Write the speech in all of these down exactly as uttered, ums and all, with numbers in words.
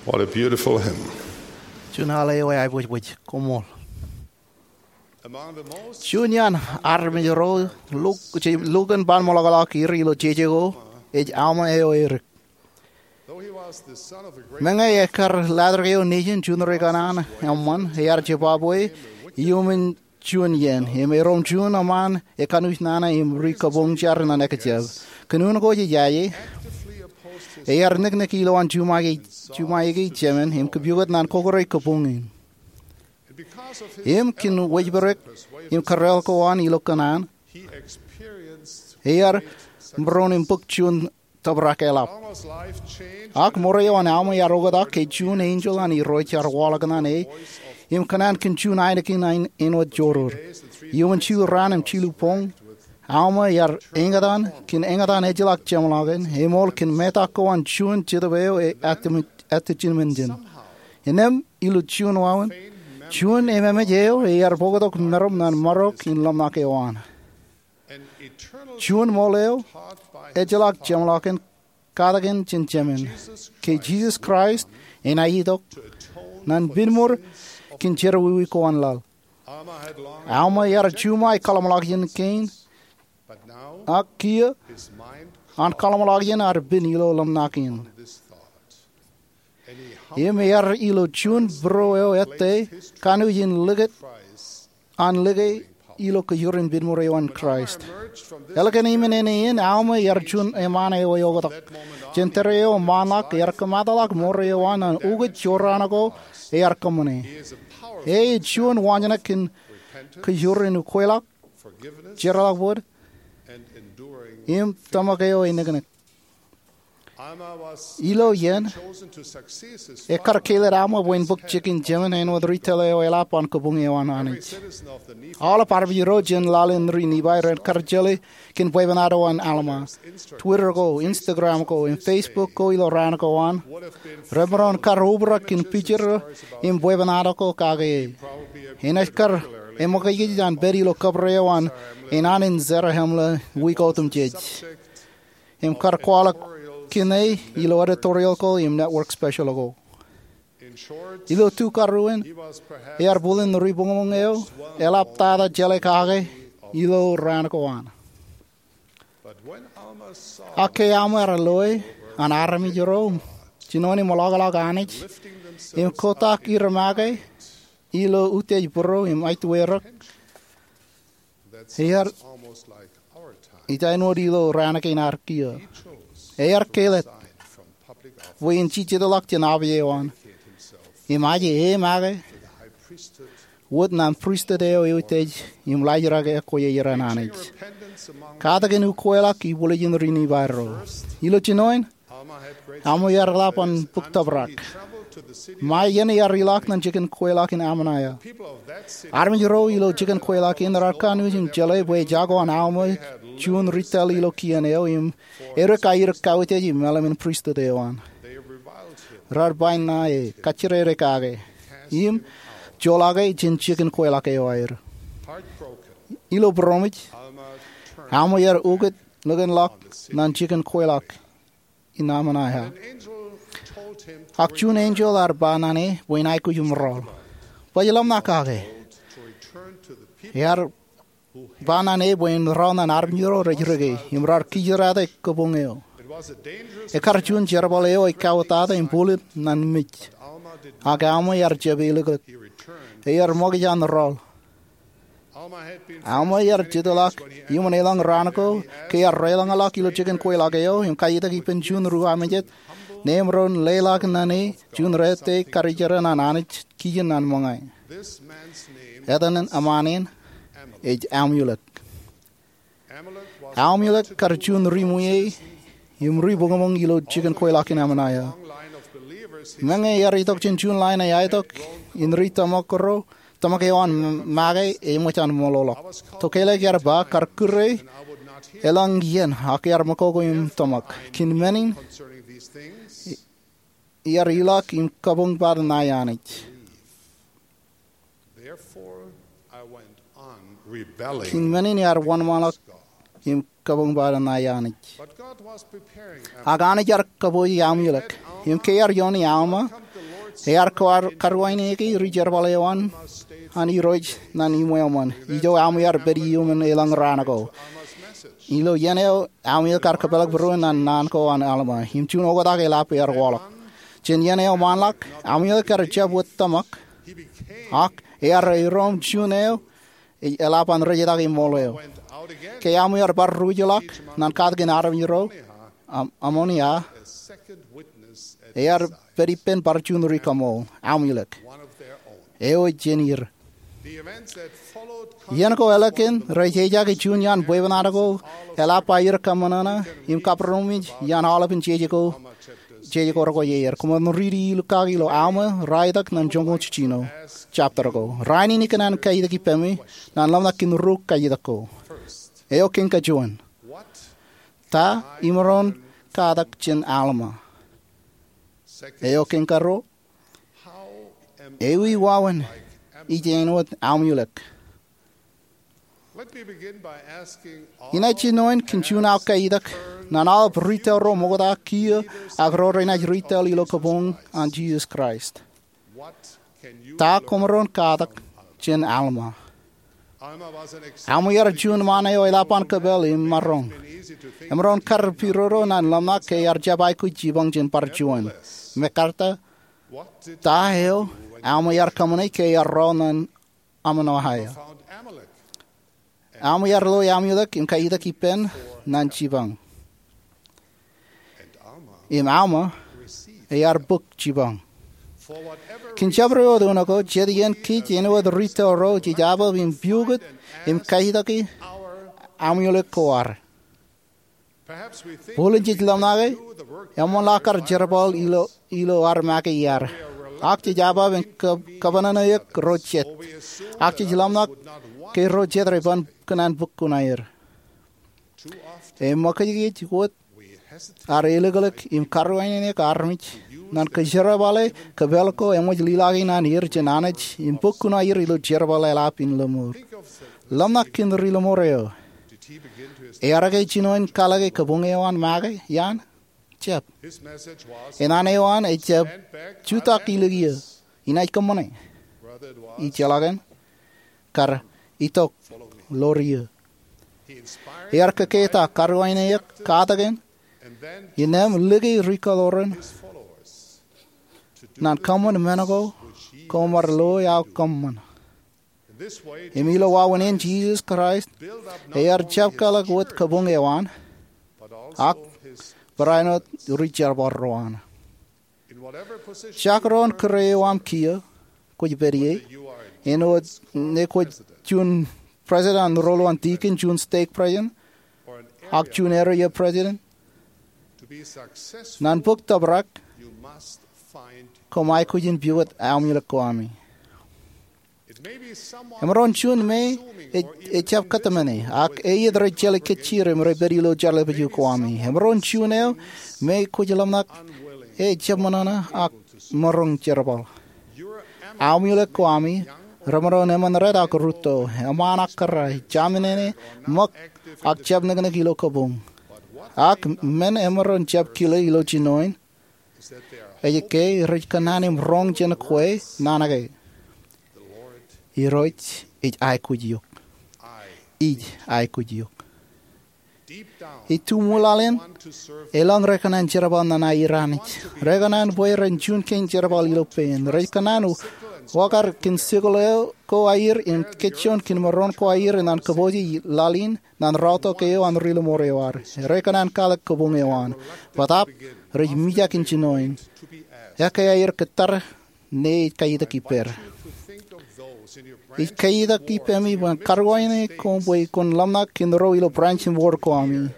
What a beautiful hymn. Juon al eo eaibwijbwij, koṃṃool. Among the most Juon iaan armej ro lukkuun, lukkuun ban ṃōḷaḷọk er ilo jeje ko ej Alma eo erik. Though he was the son of a great Meñe ekkar laajrak eo nejin juon ri kanaan eṃṃan, ear jibabwe iuṃwin juon iien, im erom juon eṃṃaan ekanooj nana im ri kabuñ jar ñan ekjab. Kōn unin ko jej aje, ear niknik ilowaan juṃae, juṃae ke jemān im kōpooj ñan kokkure kabuñ in. Im kōn wōjpirik im kōrreoḷ ko an ilo kōṇaan, ear būruon im bōk juon tōprak eḷap. Ak ṃōreo an Alma ear oktak ke juon enjeḷ an Irooj ear waḷọk ñan e im kōṇaan kōn juon ainikien āinwōt joror. Iuṃwin jilu raan im jilu boñ, Alma ear eñtaan kōn eñtaan ejjeḷọk jeṃḷọkin, eṃool kōn metak ko an juon Jetōb eo e atijeṃōnjeṃ. Innām, ilo juon wāween, juon ememej eo ear bōktok meram ñan marok in ḷōmṇak eo an. Juon ṃool eo ejjeḷọk jeṃḷọkin katakin jān Jemān, ke Jisōs Kraist enaaj itok ñan pinnṃool kōn jerọwiwi ko an laḷ. Alma ear juṃae kaḷṃḷọkjeṇ kein, ak kiiō an kaḷṃḷọkjeṇ ear pin ilo ḷōmṇak in. Im ear ilo juon būruo eo ettā kanooj in likūt an like ilo kōjūrin pinnṃool eo an Kraist. Ālikin im naan, Alma ear juon eṃṃaan eo eoktak. Jān tōre eo ṃaanḷọk ear kōmataḷọk ṃōreo an ñan ukōt jorrāān ko ear kōṃṃane. E ej juon waanjoñak kōn kōjūrin ukweḷọk, jeorḷọk bōd, im tōmak eo eniknik. Ilo iien, ekkar kāālōt Alma bwe en bōk jikin jemān āinwōt ri tōl eo eḷap an kabuñ eo an Anij. Aolep armej ro jān laḷ in ri Nifai ren kar jeḷā kōn bwebwenato an Alma. Twitter ko, Instagram ko, im Facebook ko ilo raan ko an remaroñ kar obrak kōn picture im bwebwenato ko kake e. Enaaj kar eṃōkajkij an pād ilo kōpre eo an enaan in Zarahemla wiik otemjej im kar kwaḷọk kōn e ilo editorial ko im network special ko. Ilo tukaruon, ear bōlen ri boñboñ eo eḷap tata jeḷā kake ilo raan ko an. Ak ke Alma ear loe an armej ro jinoin im ḷọkḷọk Anij im kotak er make ilo utiej būruo im aitwerōk, ear ij āinwōt ilo raan kein ad kiiō. Ear kāālōt bwe en jijetḷọk jān api eo an im aje e make wōt ñan pristut eo eutiej im laajrak ekwe eo an Anij. Katakin ukweḷọk ibwiljin ri Nifai ro. Ilo jinoin, Alma ear eḷap an bōk tōprak. Ṃae iien ear ilọk ñan jikin kweilọk in Ammonihah. Armej ro ilo jikin kweilọk in raar kanooj im jeḷā bwe ejako an Alma juon ri tōl ilo kien eo im edik aer kautiej im meḷeḷe in pristut eo an. Raar ba ñan e, kajjirere kake im joḷọk e jān jikin kweilọk eo aer. Ilo būroṃōj, Alma ear ukōt likinḷọk ñan jikin kweilọk in Ammonihah. Ak juon enjeḷ ear ba ñan e bwe en aikuj im rọọl. Baj ḷōmṇak kake. Ear ba ñan e bwe en rọọl ñan armej ro rej rike im raar kijirate kabuñ eo. Ekkar juon jerbal eo ej kauwōtata im bulōt ñan mej. Ak Alma ear jab eliklik. Ear ṃōkaj an rọọl. Alma ear jitḷọk iuṃwin elōñ raan ko ke ear deḷọñḷọk ilo jikin kweilọk eo im kaitak ippān juon ri-armej jet, neiṃōn ro leḷọk ñan e juon rete karijeran an Anij kijin ñan ṃōñā. Etan eṃṃaan in ej Amulek. Amulek kar juon ri-ṃwiie im ri-boñboñ ilo jikin kweilọk in Ammonihah. Meñe ear itok jān juon line eo eaorōk in ri tōmak ro, tōmak eo an make eṃōj an ṃōḷoḷọk. Tokālik ear ba kar kūr e elōñ iien ak ear ṃōkoko im tōmak. Kōn men in ear ilọk im kabuñ part ṇae Anij. Kōn men in ear wōnṃaanḷọk im kabuñ part ṇae Anij. Ak Anij ear kōpooj Amulek. Im ke ear iooni Alma Ear karuwaineke ri jerbal eo an Irooj ñan iṃweo ṃōn. Ijo aṃ iar pād iuṃwin elōñ raan ko. Ilo iien eo aṃ iō kar kōpeḷḷọk būruon ñan naan ko an Alma im juon oktak eḷap ear waḷọk. Jān iien eo ṃaanḷọk, Amulek ear jab wōt tōmak, ak ear iroṃ juon eo eḷap an rejetak iṃool eo. Ke Alma ear bar ruj ḷọk ñan katakin armej ro Amonia, ear pād ippān bar juon ri kaṃool, Amulek eo jān er. Iien ko ālikin rej ejake juon iaan bwebwenato ko eḷap aer kōṃōṇōṇō im kabaromej iaan aolepān jeje ko rekwojarjar. Koṃwin riiti ilo kaki ilo Alma, Raetak ñan joñoul jiljino jabdewōt ko. Rainin ikōṇaan kaitak ippemi ñan ḷōmṇak kōn ruo kaitak ko. Eo kein kajuon, ta imaroñ katak jān Alma? Eo kein karuo, ewi wāween ij āinwōt Amulek? Inaaj jinoin kōn juon aō kaitak ñan aolep retail ro ṃokta kiiō ak ro renaaj retail ilo kabuñ an Jisōs Kraist. Ta koṃaroñ katak jān Alma? Alma ear juon ṃaan eo eḷap an kōpel im maroñ. Emaroñ kar pidodo ñan ḷōmṇak ke ear jab aikuj jipañ jān bar juon. Mekarta, ta eo Alma ear kōṃṃane ke ear rọọl ñan Amonia? Alma ear loi Amulek im kaitak ippān ñan jipañ. Im Alma ear bōk jipañ. Kōn jabdewōt unin ko, jet iien kōj āinwōt retail ro jej jabdewōt im piukūt im kaitaki Amulek ko ad. Bōlen jej ḷōmṇake eṃṃanḷọk ad jerbal ilo ad make iaad, ak jej jabdewōt im kōpānāne eok ro jet, ak jej ḷōmṇak ke ro jet re ban kōṇaan bōk kuṇaer. Eṃōkajkōj wōt ad elōklōk im karuwainene eok armej ñan kōjerbale kōpel ko eṃōj lilaki ñan er jān Anij im bōk kuṇaer ilo jerbal eḷap in lōṃour. Ḷōmṇak kōn ri lōṃour eo. Ear ke jinoin kalōke kabuñ eo an make iaan? Jab. Enana eo an ejab jutak ilo kiiō, inaaj kōṃṃane. Ijeḷā kōn, kar itok ḷọk iiō. Ear kōketak, karuwainene eok, katakin, innām lōke ri kaḷoran ñan kōṃṃan men ko koṃ ar loi aō kōṃṃan. Im ilo wāween in Jisōs Kraist, ear jab kalōk wōt kabuñ eo an, ak barāinwōt ri jerbal ro an. Jekdọọn kūr eo aṃ kiiō kwōj pād ie, āinwōt ñe kwōj juon president an rōḷḷap an deacon, juon stake president, ak juon area president, ñan bōk tōprak, koṃ aikuj in piwōt Amulek ko ami. Emaroñ juon me ejab kōtmāne, ak eiiet rej jeḷā kōjjier im rej pād ilo jeḷā pād eo ko ami. Emaroñ juon eo me kwōj ḷōmṇak ejab ṃōṇōṇō ak maroñ jerbal. Amulek ko ami remaroñ eṃṃan red ak rūtto, eṃṃaan ak kōrā, jaṃnene, ṃōk, ak jab neknek ilo kabuñ. Ak men emaroñ jab kile ilo jinoin ej ke rej kōṇaan im roñ jān kwe naan ke, Irooj ej aikuj eok. Ij aikuj eok. Ituṃwilāāl in, elōñ rekōṇaan jerbal ñan aer Anij. Rekōṇaan bwe ren juon kein jerbal ilo pein. Rej kōṇaan wōkad kōn sikōḷ eo ko aer im kōjjoon kōn maroñ ko aer ñan kōpooje laḷ in ñan raorōk eo an ri lōṃour eo ad. Rekōṇaan kalōk kabuñ eo an. Bōtaab rej mijak in jinoin ekkā aer kōttar ñe ej kaitak ippād. Ij kaitak ippemi bwe karuwainene koṃ bwe kwōn ḷōmṇak kōn ro ilo branch im ward ko ami,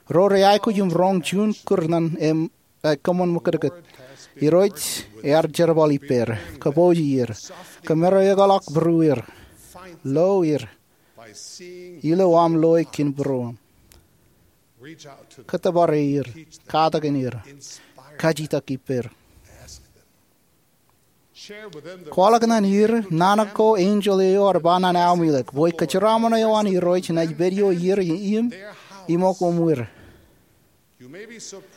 ro rej aikuj im roñ juon kūr ñan aō kōṃṃan ṃōkūtkūt. Irooj ear jerbal ippād. Kōpooje er. Kōmāro ekōḷọk būrueir. Lo er ilo aṃ loe kōn būruōṃ. Kōttōpare er. Katakin er. Kajitak ippād. Kwaḷọk ñan er naan ko enjeḷ eo ear ba ñan Amulek bwe kōjeraaṃṃan eo an Irooj enaaj pād ioer im iṃōk uṃwir.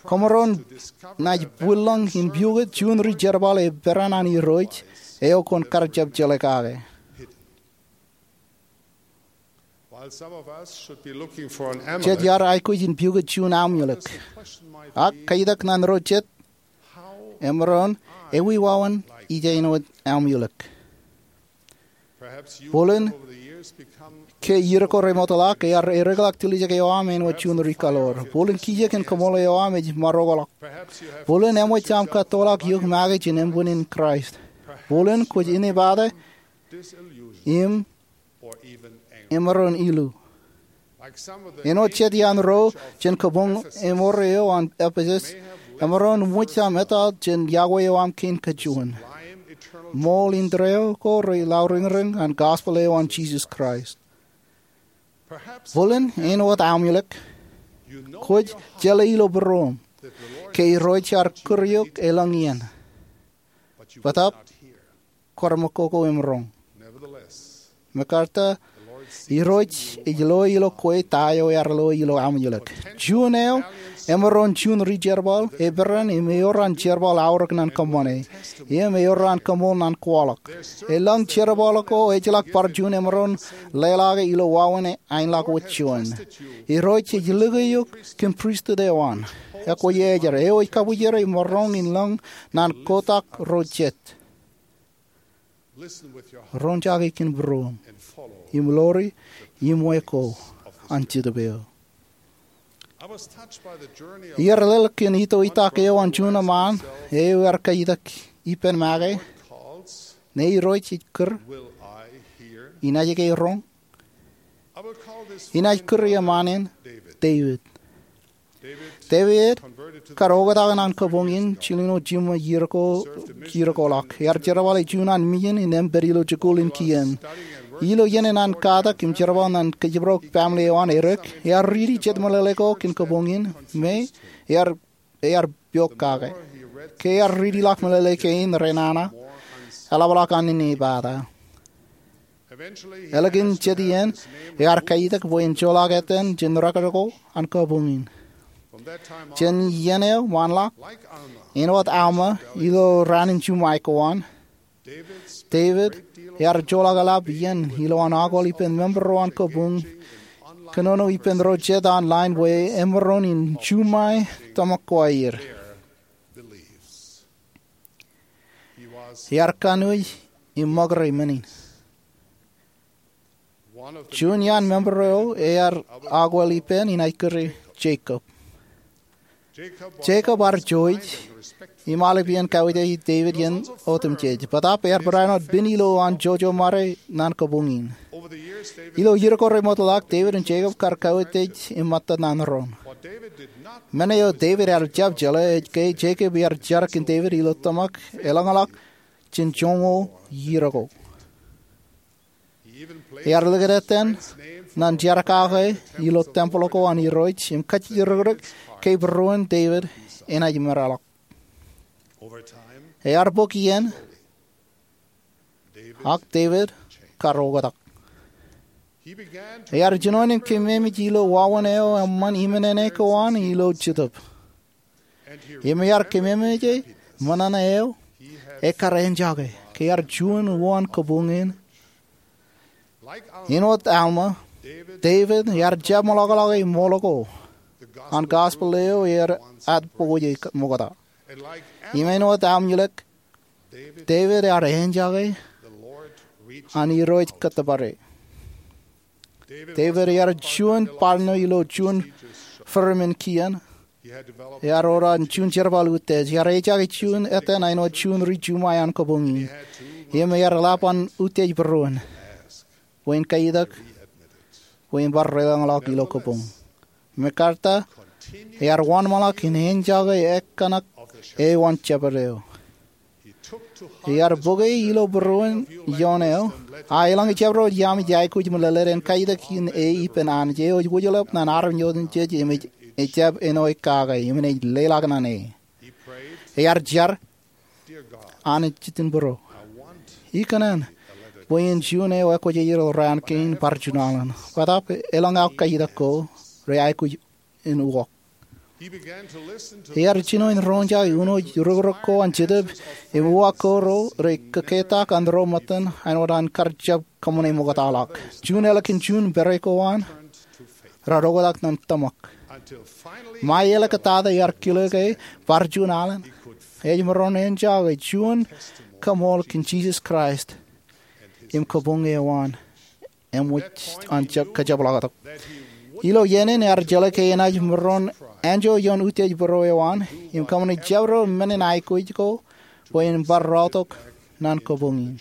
Koṃaroñ naaj bwillōñ in piukūt juon ri jerbal eperan an Irooj eo kwōn kar jab jeḷā kake. Jet iar aikuj in piukūt juon Amulek. Ak kaitōk ñan ro jet, emaroñ, ewi wāween ij āinwōt Amulek? Bōlen ke iiō ko remootḷọk ear ereḷọk tiljek eo aṃ āinwōt juon ri kaḷoor. Bōlen kijek in kōṃṃool eo aṃ ej maroñḷọk. Bōlen eṃōj aṃ kattoḷọk eok make jān emban in Kraist. Bōlen kwōj inepata im emaroñ ilu. Āinwōt jet iaan ro jān kabuñ emmor eo an Epesus, emaroñ ṃōj aṃ etal jān iọkwe eo aṃ kein kajuon. Ṃool indeeo ko rej lauriñriñ an gospel eo an Jisōs Kraist. Bōlen āinwōt Amulek, kwōj jeḷā ilo būruōṃ ke Irooj ear kūr eok elōñ iien. Bōtaab kwō remootḷọk im roñ. Mekarta, Irooj ej lo ilo kwe ta eo ear lo ilo Amulek. Juon eo, emaroñ juon ri jerbal eperan im ewōr an jerbal aorōk ñan kōṃṃane. Im ewōr an kōṃṃool ñan kwaḷọk. Elōñ jerbal ko ejjeḷọk bar juon emaroñ leḷọk ilo wāween aenḷọk wōt juon. Irooj ej likūt eok kōn pristut eo an. Ekwe ej eo ej kabwijere im maroñ in lōñ ñan kotak ro jet. Roñjake kōn būruōṃ im ḷoori iṃwe ko an Jetōb eo. Iar lōḷ kōn itoitak eo an juon eṃṃaan eo ear kaitōk ippān make, ñe Irooj ej kūr, inaaj ke roñ? Inaaj kūr eṃṃaan in Devid. Devid kar oktak ñan kabuñ in jilñuul jiṃṃa iiō ko, iiō ko ḷọk. Ear jerbale juon an mijin in empen ilo jikuuḷ in kien. Ilo iien in an katak im jerbal ñan kōjparok family eo an Erik, ear riiti jet meḷeḷe ko kōn kabuñ in, me ear, ear piok kake. Ke ear riiti ḷọk meḷeḷe kein renana, eḷapḷọk an inepata. Ālikin jet iien, ear kaitōk bwe en joḷọk etan jān record ko an kabuñ in. Jān iien eo ṃaanḷọk, āinwōt Alma ilo raan in juṃae ko an, Devid ear joḷọk eḷap iien ilowaan akwōl ippān member ro an kabuñ, kōnono ippān ro jet online bwe emaroñ in juṃae tōmak ko aer. Ear kanooj im ṃōkaj men in. Juon iaan member eo ear akwōl ippān inaaj kure Jacob. Jacob ear jouj im aolep iien kauwōj Devid iien otemjej. Bōtaab ear barāinwōt pen ilo an jouj ṃōde ñan kabuñ in. Ilo iiō ko remootḷọk, Devid im Jacob kar kauwōj im ṃōttad ñan doon. Men eo Devid ear jab jeḷā ej ke Jacob ear jar kōn Devid ilo tōmak elōñḷọk jān joñoul iiō ko. Ear likūt etan ñan jar kake ilo tempel ko an Irooj im kajjirikdik ke būruon Devid enaaj meḷọkḷọk. Ear bōk iien, ak Devid kar oktak. Ear jinoin im keememej ilo wāween eo eṃṃan iminene ko an ilo Jetōb. Im ear keememeje ṃōṇōṇō eo ekar eñjake ke ear juon uwaan kabuñ in. Āinwōt Alma, Devid ear jab ṃōḷọkḷọke ṃool ko an gospel eo ear ad pokwoje ṃokta. Im āinwōt Amulek, Devid ear eñjake an Irooj kōttōpare. Devid ear juon partner ilo juon firm in kien. Ear ora juon jerbal utiej. Ear eñjake juon etan āinwōt juon ri juṃae an kabuñ in. Im ear eḷap an utiej būruon bwe en kaitōk bwe en bar deḷọñḷọk ilo kabuñ. Mekarta, ear wōnṃaanḷọk in eñjake ekkōṇak eo an jabdewōt. Ear bōke ilo būruon ioon eo, a elōñ jabdewōt iaami ej aikuj meḷeḷe en kaitōk in e ippān Anij eo ej wōjḷọk ñan armej otemjej im ej, ejjab āinwōt kake im enaaj leḷọk ñan e. Ear jar, Anij Jitien būruō, ikōṇaan bwe en juon eo ekwōjarjar raan kein bar junaḷ in. Bōtaab elōñ aō kaitōk ko reaikuj in uwaak. Ear jino in roñjake unooj rukruk ko an Jetōb im uwaak ko ro rej kōketak an ro ṃōttan āinwōt an kar jab kōṃṃane ṃoktaḷọk. Juon ālikin juon pere ko an raar oktak ñan tōmak. Ṃae eḷak tata ear kile ke bar juon alen ej maroñ enja ke juon kaṃool kōn Jisōs Kraist im kabuñ eo an eṃōj an kajepḷaaktok. Ilo iien in ear jeḷā ke enaaj maroñ anjọ ioon utiej būruō eo an im kōṃṃane jabdewōt men in aikuj ko bwe en bar raotok ñan kabuñ in.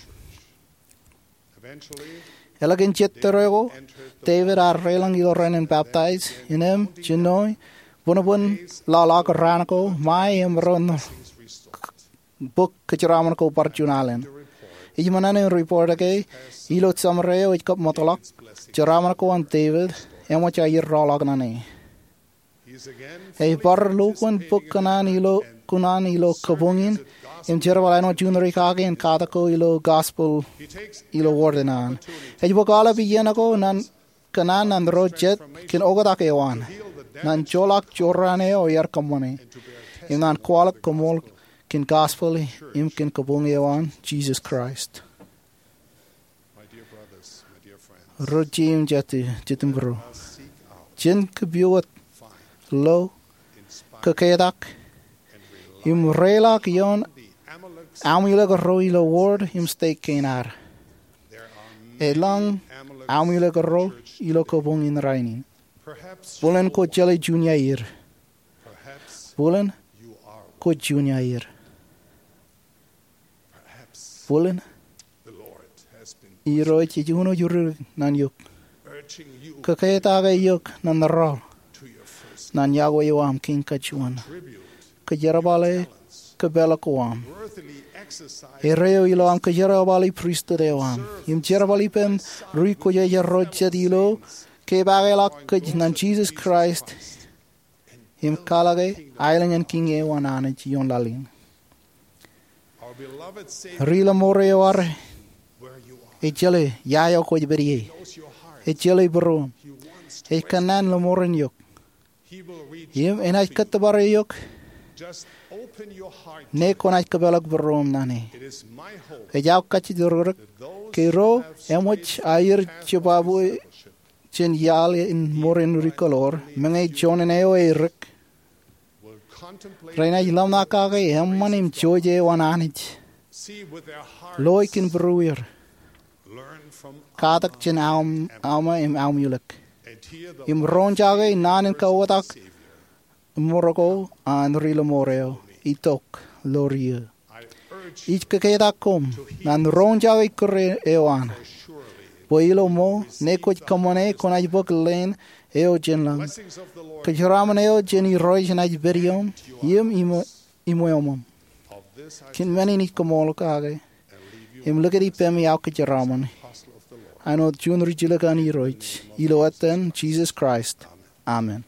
Ālikin jet tōre ko, David ear reilañ ilo rainin baptaij, innām, jinoe, buñbuñ ḷọk raan ko, ṃae im ro bok kōjeraaṃṃan ko bar juon alen. Ij ṃōṇōṇō in report ke ilo summary eo ej kab ṃōtḷọk, jeraaṃṃan ko an David eṃōj aer rọọlḷọk ñan e. Ej bar lukkuun bōk kōṇaan ilo kabuñ in im jerbal āinwōt juon ri kake in katak ko ilo gospel ilo ward in an. Ej bōk aolep iien ko ñan kōṇaan ñan ro jet kōn oktak eo an ñan joḷọk jorrāān eo ear kōṃṃane im ñan kwaḷọk koṃṃool kōn gospel im kōn kabuñ eo an Jisōs Kraist. Ro jeiū im jatū, jet im būruō, jen kōpooj, lo, kōketak im reiḷọk ioon Amulek ro ilo ward im stek kein ad. Elōñ Amulek ro ilo kabuñ in rainin. Bōlen kwōj jeḷā juon iaer. Bōlen kwōj juon iaer. Bōlen Irooj ej unooj ri ñan eok, kōketak eok ñan raoḷ ñan yokwe eo aṃ kein kajuon, kōjerbale kōpeḷḷọk ko aṃ, erreo ilo aṃ kōjerbale pristut eo aṃ im jerbal ippem ri kwōjarjar ro jet ilo kepaakḷọk kōj ñan Jisōs Kraist im kwaḷọke aelōñ in Kiiñ eo an Anij ioon laḷ in. Ri Ḷōṃoor eo ad, ej jeḷā ia eo kwōj pād ie. Ej jeḷā būruōṃ. Ej kōnnaan ḷōṃoorōn eok. Im enaaj kōttōpar eok ñe kwōnaaj kōpeḷḷọk būruōṃ ñan e. Ej aō kajjitōk ke ro eṃōj aer jibabwe jān iaḷ in mour in ri kōḷoor, meñe juon eo erik, renaaj ḷōmṇak kake eṃṃan im jouj eo an Anij, loe kōn būrueir, katak jān Alma im Amulek, im roñjake naan in kaoktak ṃōrro ko an Ri Ḷōṃoor eo itok ḷọk ro. Ij kōketak koṃ ñan roñjake kūr eo an, bwe ilo ṃool ñe kwōj kōṃṃane kwōnaaj bōk leen eo jān lañ. Kōjeraaṃṃan eo jān Irooj enaaj pād ioṃ im iṃweo, iṃweo ṃōṃ. Kōn men in ij koṃṃool kake im likūt ippemi aō kōjeraaṃṃan āinwōt juon ri jilkinḷọk an Irooj, ilo etan Jisōs Kraist, amen.